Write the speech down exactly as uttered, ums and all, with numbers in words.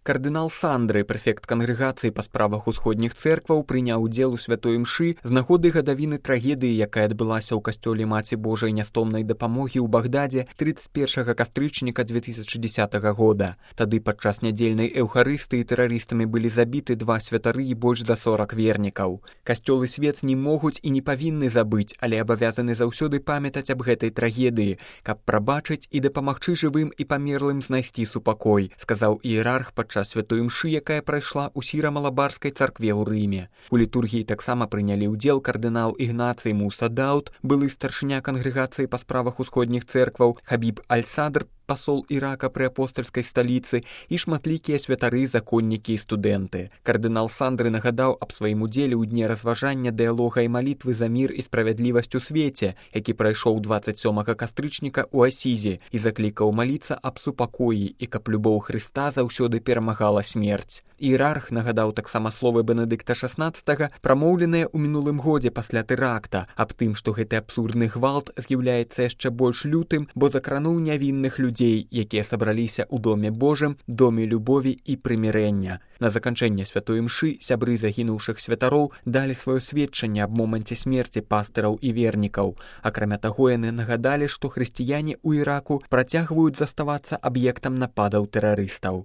Кардынал Сандры, прэфект кангрэгацыі па справах усходніх цэркваў, прыняў удзел у святой імшы з нагоды гадавіны трагедыі, якая адбылася ў касцёле Маці Божай нястомнай дапамогі ў Багдадзе тридцать першага кастрычніка две тысячи десятого года. Тады падчас нядзельнай эўхарыстыі тэрарыстамі былі забіты два святары і больш за сорок вернікаў. Касцёл і свет не могуць і не павінны забыць, але абавязаны заўсёды памятаць аб гэтай трагедыі, каб прабачыць і дапамагчы жывым і памерлым знайсці супакой, сказаў іерарх падчас час святой імшы, якая прайшла ў сіра-малабарскай царкве ў Рыме. У літургіі таксама прынялі ўдзел кардынал Ігнацый Муса Дауд, былы старшыня кангрэгацыі па справах усходніх цэркваў, Хабіб Аль-Садр, пасол Ірака пры апостальскай сталіцы і шматлікія святары, законнікі і студэнты. Кардынал Сандры нагадаў аб сваім удзеле ў дне разважання, дыялога і малітвы за мір і справядлівасць у свеце, які прайшоў двадцать сёмага кастрычніка ў Асізе, і заклікаў маліцца аб супакоі і каб любоў Хрыста заўсёды перамагала смерць. Іерарх нагадаў таксама словы Бенедыкта шаснаццатага, прамоўленыя ў мінулым годзе пасля тэракта, аб тым, што гэты абсурдны гвалт з'яўляецца яшчэ больш лютым, бо закрануў нявінных людзей, якія сабраліся ў доме Божым, доме любові і прымірэння. На заканчэнне святой імшы сябры загінуўшых святароў далі сваё сведчанне аб моманце смерці пастыраў і вернікаў. Акрамя таго, яны нагадалі, што хрысціяне ў Іраку працягваюць заставацца аб'ектам нападаў тэрарыстаў.